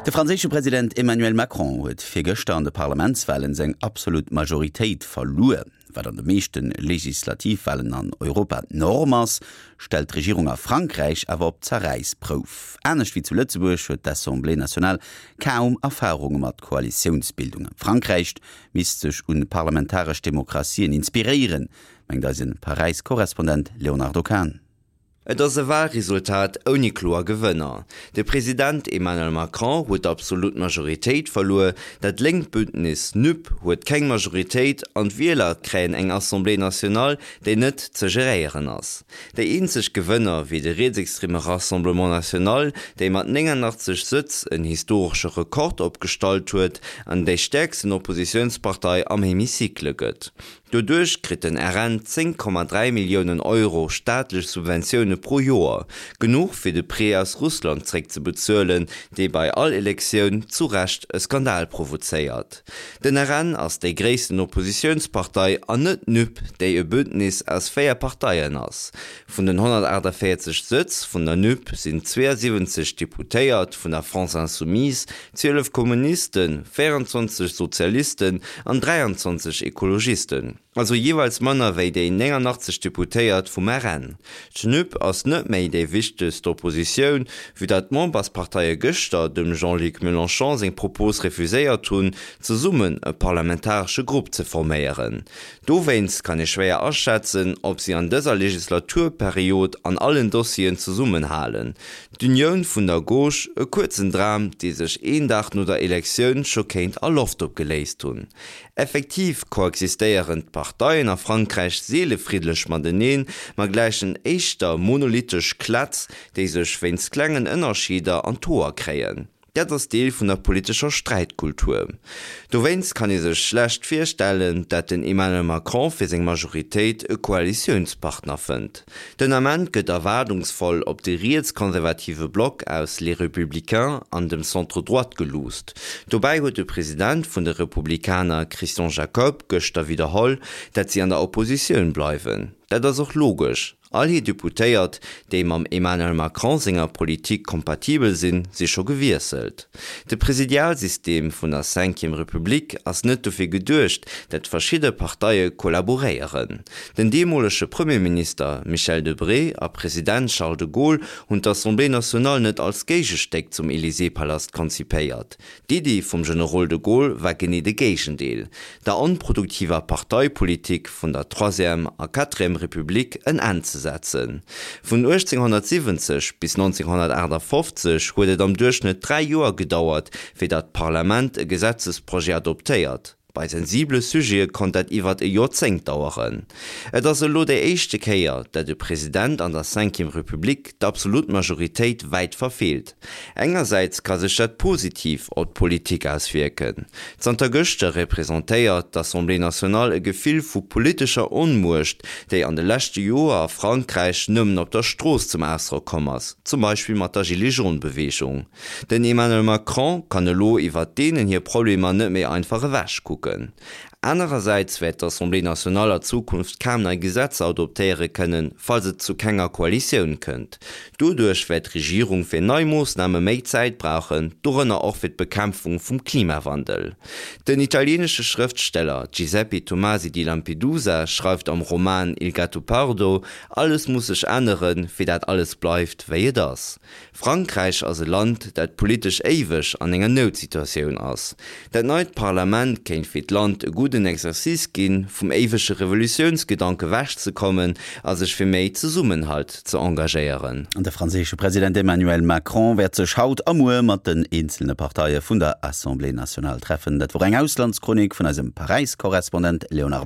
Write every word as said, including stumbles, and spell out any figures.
De franséische President Emmanuel Macron huet virgëschter an de Parlamentswalen seng absolut Majoritéit verluer. Wat an de meeschte Legislativwalen an Europa d'Norm ass, stellt d'Regierung a Frankräich awer op d'Zerräissprouf. Anescht wéi zu Lëtzebuerg huet d'Assemblée nationale kaum Erfarunge mat Koalitiounsbildungen. Frankräich misst sech un parlamentaresch Demokratien inspiréieren, mengt eise Paräis-Korrespondent Léonardo Kahn. Et ass e Walresultat ouni kloer Gewënner. De President Emmanuel Macron huet d'absolut Majoritéit verluer, dat lénkt Bündnis NUP huet keng Majoritéit an d'Wieler kréien eng Assemblée nationale, déi net ze geréieren ass. Déi eenzeg Gewënner wier de rietsextreme Rassemblement national, déi mat néngannachtzeg Sëtz en historesche Rekord opgestallt huet an déi stäerksten Oppositiounspartei am Hemicycle gëtt. Doduerch kritt den R N zéng Komma dräi Milliounen Euro staatlech Subventioune pro Joer, genuch fir de Prêt aus Russland zréckzebezuelen, dee bei all Elektioun zu Recht e Skandal provozéiert. Den R N ass déi gréissten Oppositiounspartei an net d'NUP, déi e Bündnis aus véier Parteien ass. Vun den honnertaachtavéierzeg Sëtz vun der NUP sinn zweeësiwwenzeg Deputéiert vun der France Insoumise, zwielef Kommunisten, véieranzwanzeg Sozialisten an dräianzwanzeg Ekologisten, also jeeweils manner wéi déi néngannachtzeg Deputéiert vum R N. D'NUP ass net méi déi wichtegst Oppositioun, vue dat d'Membersparteie gëschter dem Jean-Luc Mélenchon seng Propos refuséiert hunn, zesummen e parlamentaresche Grupp ze forméieren. Dowéinst kann ee schwéier aschätzen, ob si an dëser Legislaturperiod an allen Dossieren zesummenhalen. D'Unioun vun der Gauche, e kuerzen Dram, dee sech een Dag no der Elektioun scho kéint a Loft opgeléist hunn. Effektiv koexistéieren d'Parteien a Frankräich seele friddlech mateneen, ma gläichen éischter monolithtesch Klätz, déi sech wéinst klengen Ënnerscheeder an d'Hoer kréien. Dat ass Deel vun der politescher Sträitkultur. Dowéinst kann ee sech schlecht virstellen, dat den Emmanuel Macron fir seng Majoritéit e Koalitiounspartner fënnt. Den Ament gëtt erwaardungsvoll op de rietskonservative Block aus Les Républicains an dem Centre droite geluusst. Dobäi huet de President vun de Republikaner Christian Jacob gëschter widderholl, dat si an der Oppositioun bleiwen. Dat ass och logesch, all hir Deputéiert, déi mam Emmanuel Macron senger Politik kompatibel sinn, si scho gewiesselt. De Presidialsystem vun der Cinquième Republik ass net dofir geduecht, dat verschidde Parteie kollaboréieren. Den deemolege Premierminister Michel Debré a President Charles de Gaulle hunn d'Assemblée nationale net als Géigestéck zum Élysée-Palast konzipéiert. D'Iddi vum Generol de Gaulle war genee de Géigendeel, der onproduktiver Parteipolitik vun der Troisième a Quatrième Republik en Enn ze setzen. Vun uechtzénghonnertsiwwenzeg bis nonzénghonnertaachtafoffzeg huet et am Duerchschnëtt dräi Joer gedauert, fir datt d'Parlament e Gesetzesprojet adoptéiert. Bei sensibele Sujete konnt dat iwwer e Joerzéngt daueren. Et ass elo déi éischte Kéier, dat e President an der Cinquième Republik d'absolut Majoritéit wäit verfeelt. Engersäits ka sech dat positiv op d'Politik auswierken. Zanter gëschter representéiert d'Assemblée nationale e Gefill vu politescher Onmuecht, déi an de leschte Joer a Frankräich nëmmen op der Strooss zum Ausdrock komm ass, zum Beispill mat der Gilets-jaunes-Beweegung. Den Emmanuel Macron kann elo iwwer deenen hir Problemer net méi einfach ewechkucken. Anerersäits wäert d'Assemblée nationale a Zukunft kaum nei Gesetzer adoptéiere kënnen, falls et zu kenger Koalitioun kënnt. Doduerch wäert d'Regierung fir nei Moossname méi Zäit brauchen, dorënner och fir d'Bekämpfung vum Klimawandel. Den italieenesche Schrëftsteller Giuseppe Tomasi di Lampedusa schreift am Roman Il Gattopardo, Alles muss sech änneren, fir dat alles bleift, wéi et ass. Frankräich ass e Land, dat politesch éiweg an enger Noutsituatioun ass. Dat neit Parlament kéint fir d'Land e gudden Exercice ginn, vum éiwege Revolutiounsgedanke wechzekommen a sech fir méi Zesummenhalt ze engagéieren. De franséische President Emmanuel Macron wäert sech haut a muer mat den eenzelne Parteie vun der Assemblée nationale treffen. Dat wor eng Auslandschronik vun eisem Paräis-Korrespondent Léonard.